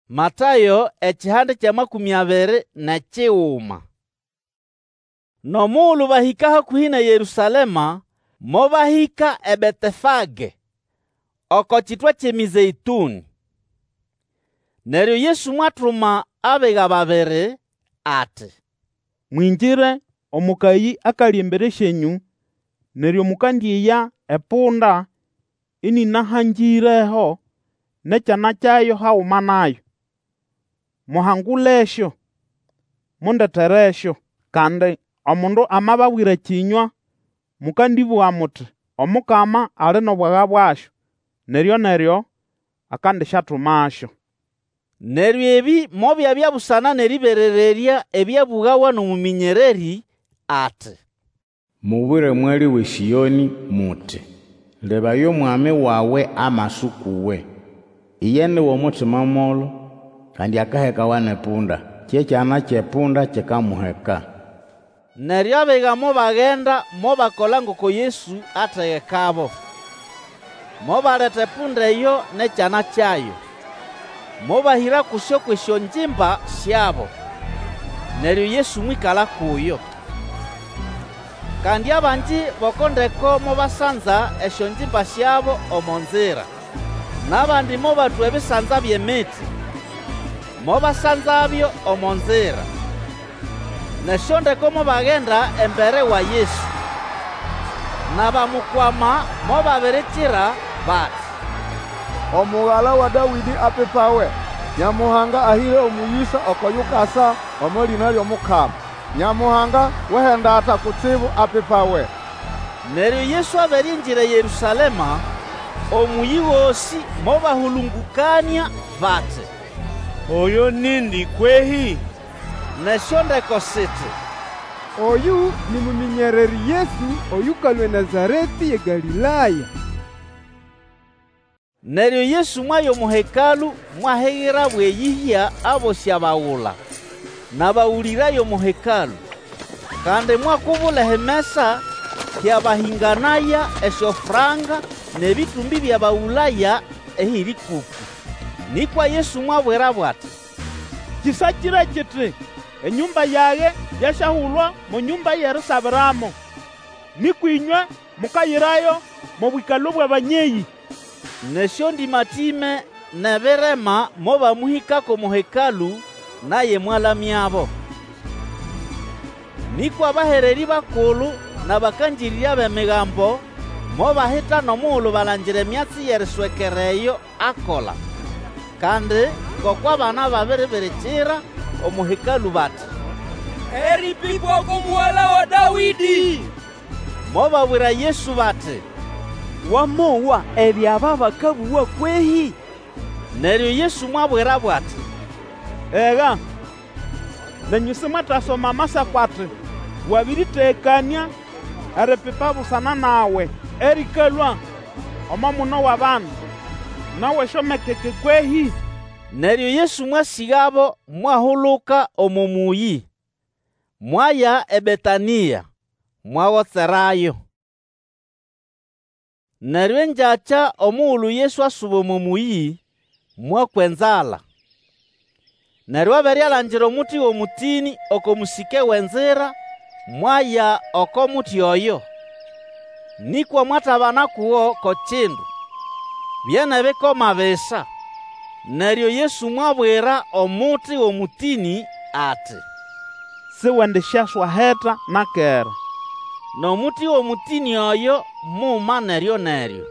Matayo ekihande ky'amakũmĩ abiri n'ekiguma. N'omugulu bahĩka hakũhĩ n'eYerũsalema, mobahĩka eBetefage, oko kitwa ky'eMĩzeĩtũnĩ. Neryo Yesu mwatuma abiga babiri, ati, Mwingire omo kayĩ akali embere syenyũ, neryo mũkandĩeya epunda ĩnĩnahangĩreho n'ekyana kyayo haguma nayo. Muhangulesyo, mundeteresyo. Kandi omundu amababwira kĩnywa, mũkandĩbũga muti, Omukama ali n'obwaga bwasyo, neryo-neryo akandisyatumasyo. Neryo ebĩ mobyabya busana n'erĩberererya ebyabũgawa n'omũmĩnyererĩ, ati, Mubwire mwali w'eSĩonĩ muti, Lebaya, Omwami wawe amasa uk'uwe. Iye ni w'omutima molo, kandi akahekawa n'epunda, kye kyana ky'epunda kikamuheka. Neryo abiga mobagenda mobakola ngoko Yesu ategekabo. Mobaleta epunda eyo n'ekyana kyayo, mobahĩra kusyo kw'esyongimba syabo, neryo Yesu mwĩkala kuyo. Kandi abangi b'oko ndeko mobasanza esyongimba syabo omo nzira, n'abandi mobatwa ebisanza by'emiti, mobasanzabyo omo nzira. N'esyondeko mobagenda embere wa Yesu. N'abamukwama mobabirikira bati, Omugala wa Dawĩdĩ apipawe! Nyamuhanga ahĩre omũyĩsa oko yukasa omo lĩna ly'Omukama! Nyamuhanga w'ehendata kutsibu apipawe! Neryo Yesu abere ingira eYerũsalema, omũyĩ gosĩ mobahũlũngũkanĩa bati, Oyo nindi kwehĩ? N'esyondeko siti, Oyũ ni mũmĩnyererĩ Yesu oyũkalũa eNazaretĩ y'eGalĩlaya. Neryo Yesu mwaya omo Hekalũ mwahigira bw'eyĩhya abosĩ abagula, n'abagũlĩraya omo Hekalũ. Kandi mwakubula ehimesa hy'abahĩnganaya esyofranka n'ebĩtũmbĩ by'abagũlaya ehĩrĩkũkũ. Nĩkwa Yesu mwabwirabo ati, Kĩsakĩre kiti, Enyũmba yage yasyahulwa mo nyũmba y'erisabiramo. Nĩkwa ĩnywe mukayirayo mo bwĩkalo bw'abanyeyĩ. N'esyondĩmatĩme n'ebirema mobamũhĩkako omo Hekalũ, naye mwalamyabo. Nĩkwa abahererĩ bakulu n'abakangĩrĩrya b'Emigambo mobahitana omugulu balangira emyatsi y'eriswekera eyo akola, kandi ngoko abana babiribirikira omo Hekalũ bati, Erĩpĩpwa uku Mugala wa Dawĩdĩ! Mobabwira Yesu bati, Wamowa ebyo aba bakabũga kwehĩ? Neryo Yesu mwabwirabo ati, Ega, nenyũ simwetasoma Amasako ati, Wabĩrĩtegekanĩa eripipa busana nawe erĩkalũa omo muno w'abandu, n'aw'esyomekeke kwehĩ? Neryo Yesu mwasĩgabo mwahuluka omo mũyĩ, mwaya eBetanĩa, mwagotserayo. Neryo engyakya omugulu Yesu asuba omo mũyĩ, mwakwa enzala. Neryo abere alangira omuti w'omũtĩnĩ oko mũsĩke w'enzira, mwaya oko muti oyo. Nĩkwa mwatabana kugo ko kindu, bye n'ebikoma bisa. Neryo Yesu mwabwira omuti w'omũtĩnĩ ati, Siwendisyaswaheta na kera. N'omuti w'omũtĩnĩ oyo muma neryo-neryo.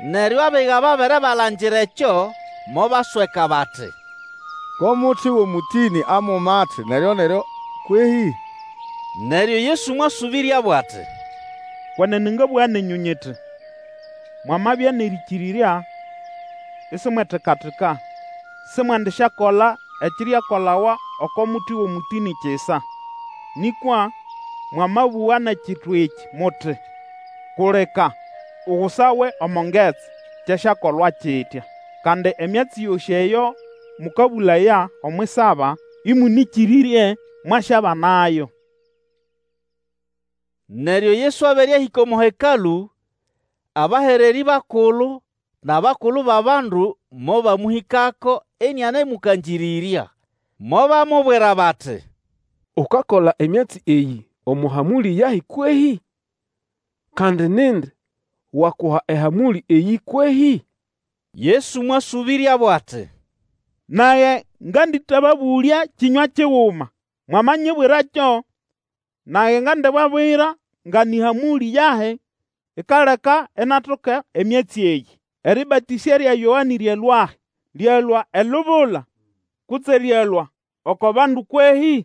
Neryo abiga babere balangira ekyo, mobasweka bati, Ko muti w'omũtĩnĩ amuma ati neryo-neryo kwehĩ? Neryo Yesu mwasũbĩryabo ati, Kwenene ngabũga nenyũ nyiti, Mwamabya n'erĩkĩrĩrya, isimwetikatika, simwendisyakola ekiriakolawa oko muti w'omũtĩnĩ kisa. Nĩkwa mwamabũga n'ekitu ekĩ muti, Kulika, ugusawe omo ngetsi, kyasyakolwa kitya. Kandi emyatsi yosĩ eyo mũkabũlaya omw'isaba, ĩmũnĩkĩrĩrye, mwasyabanayo. Neryo Yesu abere ahĩka omo Hekalũ, abahererĩ bakulu n'abakulu b'abandu mobamũhĩkako ĩnĩanemũkangĩrĩrya. Mobamubwira bati, Ukakola emyatsi eyĩ omo hamũlĩ yahi kwehĩ? Kandi nindi wakuha ehamũlĩ eyĩ kwehĩ? Yesu mwasũbĩryabo ati, Nage ngandĩtababũlya kĩnywa kiguma. Mwamanyibwĩrakyo, nage ngandibabwira nga nĩ hamũlĩ yahi ikaleka inatoka emyatsi eyĩ. Erĩbatĩsya lya Yoane lyalũahi? Lyalũa elubula kutse lyalũa oko bandu kwehĩ?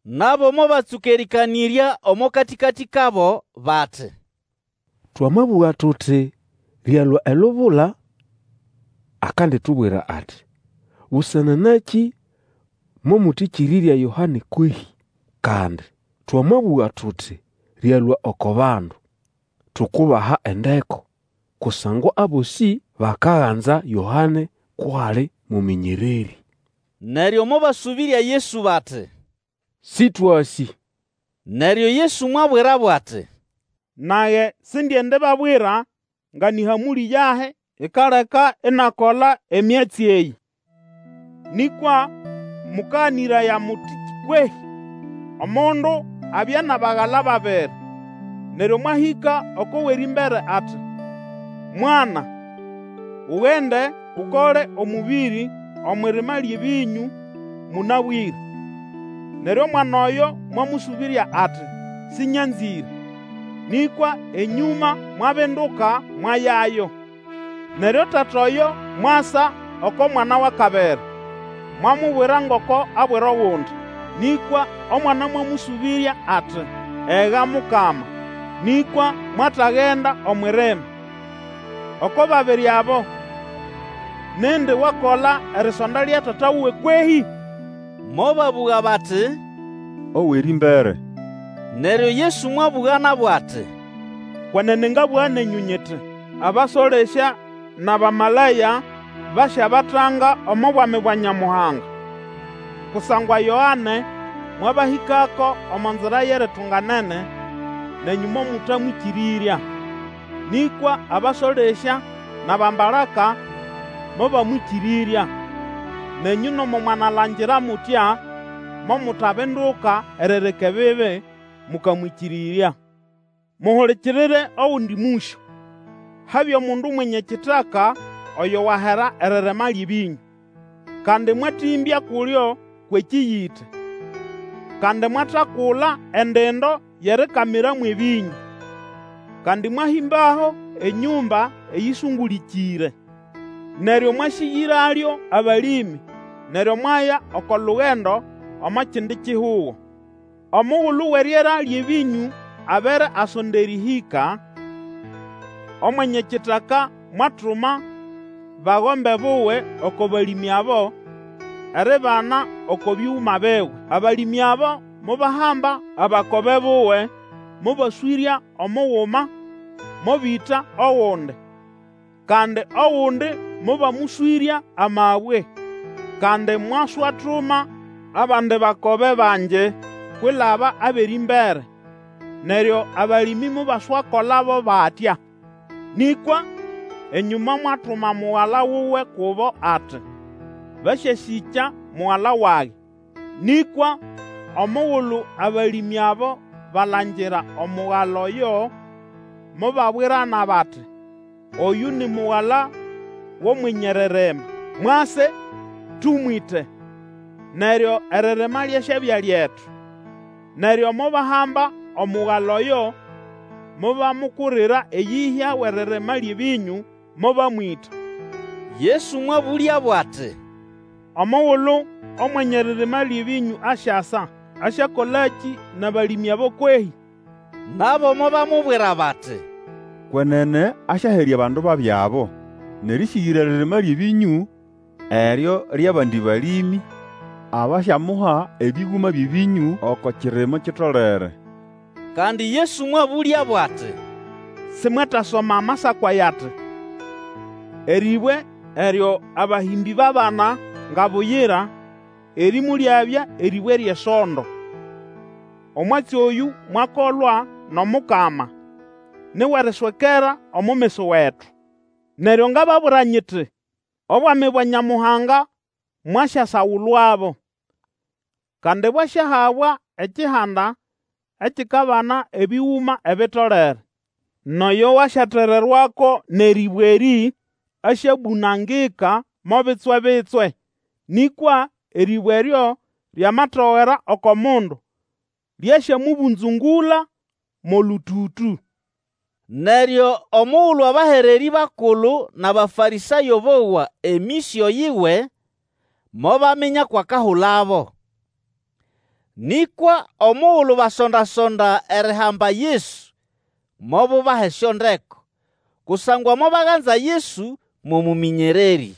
Nabo mobatsũka erĩkanĩrya omo katĩkatĩ kabo bati, Twamabũga tuti, Lyalũa elubula, akanditubwira ati, Busana nakĩ momũtĩkĩrĩrya Yoane kwehĩ? Kandi twamabũga tuti, Lyalũa oko bandu, tukubaha endeko, kusangwa abosĩ bakaganza Yoane kw'ali mũmĩnyererĩ. Neryo mobasũbĩrya Yesu bati, Sĩtwasĩ. Neryo Yesu mwabwirabo ati, Nage sindiendibabwira nga nĩ hamũlĩ yahi ikaleka inakola emyatsi eyĩ. Nĩkwa mũkaganĩraya muti kwehĩ? Omundu abya n'abagala babiri. Neryo mwahĩka oko w'erĩmbere ati, Mwana, ugende ukole omũbĩrĩ omw'irima ly'ebĩnyũ mũnabwĩre. Neryo omwana oyo mwamũsũbĩrya ati, Sĩnyanzĩre. Nĩkwa enyũma mwabinduka mwayayo. Neryo tata oyo mwasa oko mwana w'akabiri, mwamubwira ngoko abwira ogundi. Nĩkwa omwana mwamũsũbĩrya ati, Ega Mukama, nĩkwa mwatagenda omw'irima. Oko babiri abo, nindi wakola erisonda lya tata wuwe kwehĩ? Mobabũga bati, Ow'erĩmbere. Neryo Yesu mwabũga nabo ati, Kwenene ngabũga nenyũ nyiti, Abasolesya n'abamalaya basyabatanga omo Bwami bwa Nyamuhanga. Kusangwa Yoane mwabahĩkako omo nzira y'eritunganene, nenyũ momũtamwĩkĩrĩrya. Nĩkwa abasolesya n'abambalaka mobamwĩkĩrĩrya. Nenyũ nomo mwanalangira mutya, momutabinduka erireka ebibi, mũkamwĩkĩrĩrya. Muhulikirire ogundi mũsyo. Habya omundu mwenye kitaka oyo wahera eririma ly'ebĩnyũ. Kandi mwatĩmbya kulyo kw'ekĩyĩte, kandi mwatakula endindo y'erikamira mw'ebĩnyũ, kandi mwahĩmbaho enyũmba eyĩsũngũlĩkĩre. Neryo mwasĩgĩralyo abalĩmĩ, neryo mwaya oko lugendo omo kindi kihugo. Omugulu w'eryera ly'ebĩnyũ abere asonda erĩhĩka, omwenye kitaka mwatuma bagombe buwe oko balĩmĩ abo eribana oko bĩgũma biwe. Abalĩmĩ abo mobahamba abakobe buwe, mobaswĩrya omuguma, mobĩta ogundi, kandi ogundi mobamũswĩrya amabwe. Kandi mwaswatuma abandi bakobe bangi kwilaba ab'erĩmbere, neryo abalĩmĩ mobaswakolabo batya. Nĩkwa enyũma mwatuma mugala wuwe kubo ati, Basyasĩkya mugala wage. Nĩkwa omugulu abalĩmĩ abo balangira omugala oyo, mobabwirana bati, Oyũ ni mugala w'omwenye eririma, mwase tũmwĩte, neryo eririma lyasyabya lyetu. Neryo mobahamba omugala oyo, mobamukurira eyĩhya w'eririma ly'ebĩnyũ, mobamwĩta. Yesu mwabũlyabo ati, Omugulu omwenye eririma ly'ebĩnyũ asyasa, asyakolakĩ n'abalĩmĩ abo kwehĩ? Nabo mobamubwira bati, Kwenene asyaherya abandu babi abo, n'erĩsĩgĩra eririma ly'ebĩnyũ eryo ly'abandi balĩmĩ abasyamuha ebĩgũma by'ebĩnyũ oko kirimo kitolere. Kandi Yesu mwabũlyabo ati, Simwetasoma Amasako aya ati, Erĩbwe eryo abahĩmbĩ babana nga buyira, erĩ molyabya erĩbwe ly'esondo. Omwatsi oyũ mwakolwa n'Omukama, ni w'eriswekera omo meso wetu. Neryo ngababwira nyiti, Obwami bwa Nyamuhanga mwasyasagulwabo. Kandi bwasyahabwa ekihanda ekikabana ebĩgũma ebitolere. N'oyo wasyatererwako n'erĩbwe erĩ asyabũnangika mo bitswe-bitswe, nĩkwa erĩbwe eryo lyamatogera oko mundu, lyasyamũbũnzũngũla mo lũtũtũ. Neryo omugulu abahererĩ bakulu n'Abafarĩsayo bowa emĩsyo yiwe, mobaminya kw'akahulabo. Nĩkwa omugulu basonda-sonda erihamba Yesu, mobubaha esyondeko, kusangwa mobaganza Yesu mo mũmĩnyererĩ.